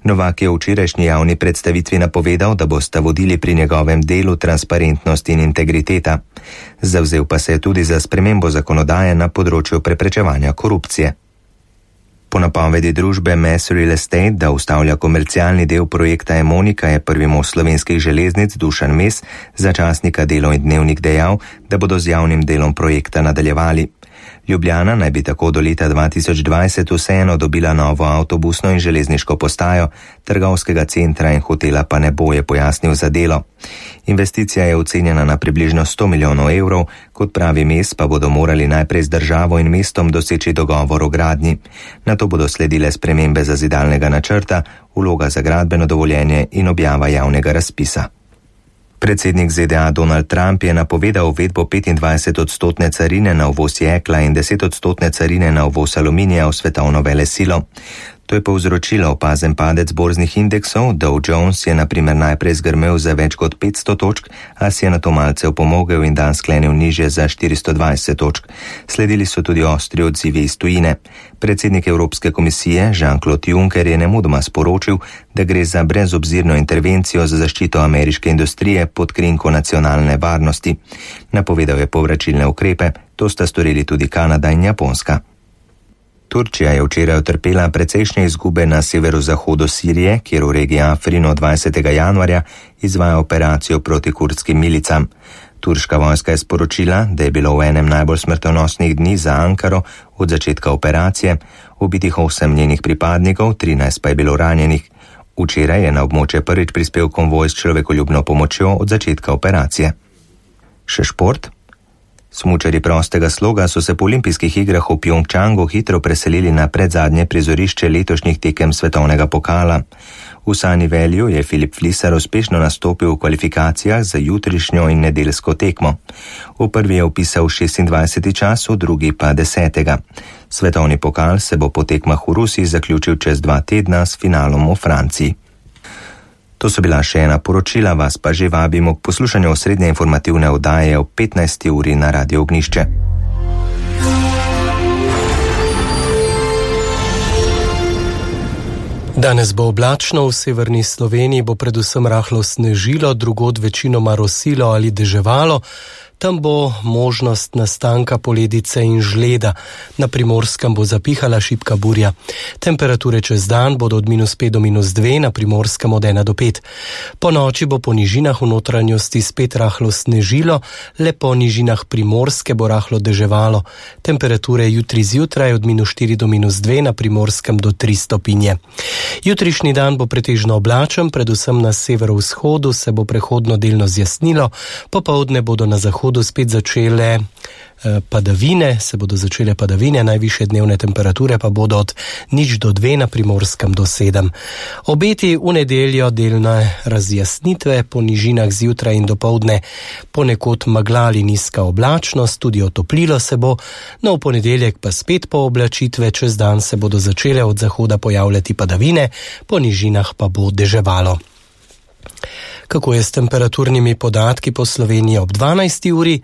Novak je v včerajšnji javni predstavitvi napovedal, da bosta vodili pri njegovem delu transparentnost in integriteta. Zavzel pa se je tudi za spremembo zakonodaje na področju preprečevanja korupcije. Po napovedi družbe Mass Real Estate, da ustavlja komercialni del projekta Emonika, je prvi mož Slovenskih železnic Dušan Mes za časnika Delo in Dnevnik dejal, da bodo z javnim delom projekta nadaljevali. Ljubljana naj bi tako do leta 2020 vseeno dobila novo avtobusno in železniško postajo, trgovskega centra in hotela pa ne bo, je pojasnil za Delo. Investicija je ocenjena na približno 100 milijonov evrov, kot pravi Mes pa bodo morali najprej z državo in mestom doseči dogovor o gradnji. Nato bodo sledile spremembe zazidalnega načrta, vloga za gradbeno dovoljenje in objava javnega razpisa. Predsednik ZDA Donald Trump je napovedal uvedbo 25% carine na uvoz jekla in 10% carine na uvoz aluminija v svetovno velesilo. To je povzročilo opazen padec borznih indeksov. Dow Jones je na primer najprej zgrmel za več kot 500 točk, a si je nato malce opomogel in dan sklenil nižje za 420 točk. Sledili so tudi ostri odzivi iz tujine. Predsednik Evropske komisije Jean-Claude Juncker je nemudoma sporočil, da gre za brezobzirno intervencijo za zaščito ameriške industrije pod krinko nacionalne varnosti. Napovedal je povračilne ukrepe, to sta storili tudi Kanada in Japonska. Turčija je včeraj utrpela precejšnje izgube na severozahodu Sirije, kjer v regiji Afrin od 20. januarja izvaja operacijo proti kurdskim milicam. Turška vojska je sporočila, da je bilo v enem najbolj smrtonosnih dni za Ankaro od začetka operacije ubitih 8 njenih pripadnikov, 13 pa je bilo ranjenih. Včeraj je na območje prvič prispel konvoj s človekoljubno pomočjo od začetka operacije. Še šport. Smučarji prostega sloga so se po olimpijskih igrah v Pjongčangu hitro preselili na predzadnje prizorišče letošnjih tekem svetovnega pokala. V Sunny Valleyju je Filip Flisar uspešno nastopil v kvalifikacijah za jutrišnjo in nedeljsko tekmo. V prvi je vpisal 26. čas, v drugi pa 10. Svetovni pokal se bo po tekmah v Rusiji zaključil čez 2 tedna s finalom v Franciji. To so bila še ena poročila, vas pa že vabimo k poslušanju osrednje informativne oddaje ob 15. uri na Radio Ognišče. Danes bo oblačno, v severni Sloveniji bo predvsem rahlo snežilo, drugod večinoma rosilo ali deževalo. Tam bo možnost nastanka poledice in žleda. Na Primorskem bo zapihala šibka burja. Temperature čez dan bodo od -5 do -2, na Primorskem od 1 do 5. Po noči bo po nižinah v notranjosti spet rahlo snežilo, le po nižinah Primorske bo rahlo deževalo. Temperature jutri zjutraj od -4 do -2, na Primorskem do 3 stopinje. Jutrišnji dan bo pretežno oblačen, predvsem na severovzhodu se bo prehodno delno zjasnilo, popoldne bodo na zahodu spet začele padavine, najvišje dnevne temperature pa bodo od 0 do 2, na Primorskem do 7. Obeti v nedeljo delne razjasnitve, po nižinah zjutraj in dopoldne ponekod megla ali nizka oblačnost, tudi otoplilo se bo, no v ponedeljek pa spet pooblačitve, čez dan se bodo začele od zahoda pojavljati padavine, po nižinah pa bo deževalo. Kako je s temperaturnimi podatki po Sloveniji ob 12. uri?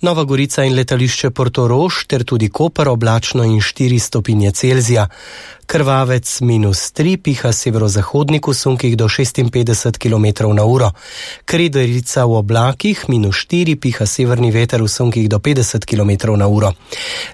Nova Gorica in letališče Portorož ter tudi Koper oblačno in 4 stopinje Celzija. Krvavec -3, piha severozahodnik v sunkih do 56 km na uro. Krederica v oblakih -4, piha severni veter v sunkih do 50 km na uro.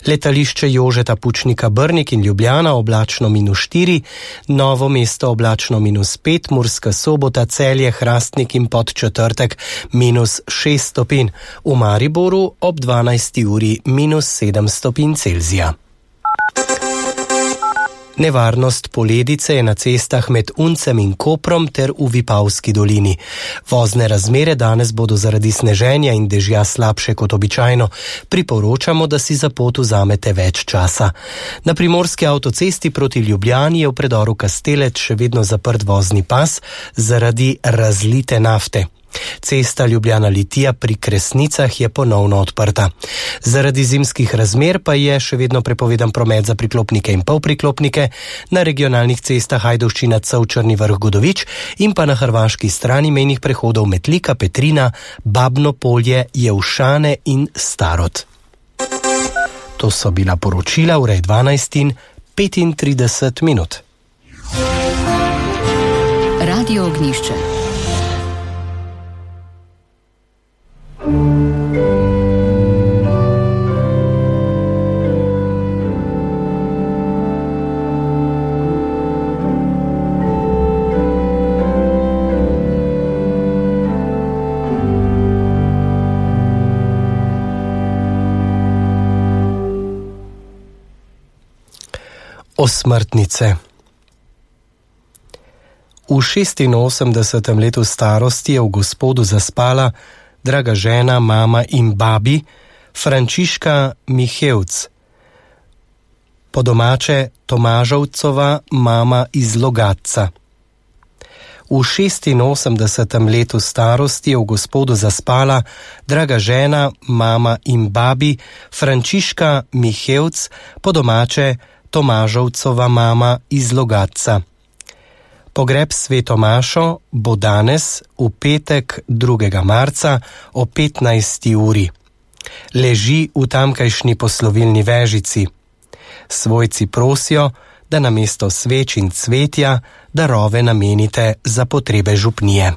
Letališče Jožeta Pučnika Brnik in Ljubljana oblačno -4, Novo mesto oblačno -5, Murska Sobota, Celje, Hrastnik in Podčetrtek -6 stopinj. V Mariboru ob 12. uri -7 stopinj Celzija. Nevarnost poledice je na cestah med Uncem in Koprom ter v Vipavski dolini. Vozne razmere danes bodo zaradi sneženja in dežja slabše kot običajno. Priporočamo, da si za pot vzamete več časa. Na primorski avtocesti proti Ljubljani je v predoru Kastelec še vedno zaprt vozni pas zaradi razlite nafte. Cesta Ljubljana-Litija pri Kresnicah je ponovno odprta. Zaradi zimskih razmer pa je še vedno prepovedan promet za priklopnike in polpriklopnike na regionalnih cestah Ajdovščina-Cev, Črni Vrh-Godovič in pa na hrvaški strani mejnih prehodov Metlika, Petrina, Babno Polje, Jevšane in Starod. To so bila poročila, ura je 12:35. Radio Ognjišče. Osmrtnice. V 86. letu starosti je v Gospodu zaspala draga žena, mama in babi Frančiška Mihevc, po domače Tomažovcova mama iz Logatca. V 86. letu starosti je v Gospodu zaspala draga žena, mama in babi Frančiška Mihevc, po domače Tomažovcova mama iz Logatca. Pogreb sveto mašo bo danes v petek 2. marca o 15. uri. Leži v tamkajšnji poslovilni vežici. Svojci prosijo, da namesto sveč in cvetja darove namenite za potrebe župnije.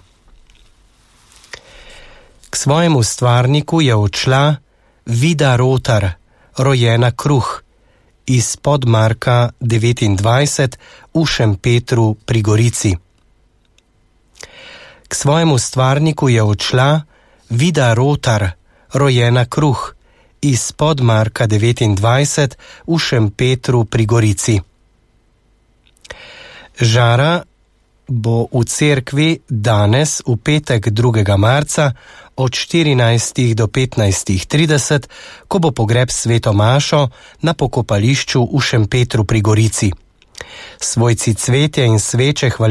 K svojemu stvarniku je odšla Vida Rotar, rojena Kruh, iz Podmarka 29 v Šempetru pri Gorici. K svojemu stvarniku je odšla Vida Rotar, rojena Kruh, iz Podmarka 29 v Šempetru pri Gorici. Žara bo v cerkvi danes v petek 2. marca od 14. do 15.30, ko bo pogreb sveto mašo na pokopališču v Šempetru pri Gorici. Svojci cvetje in sveče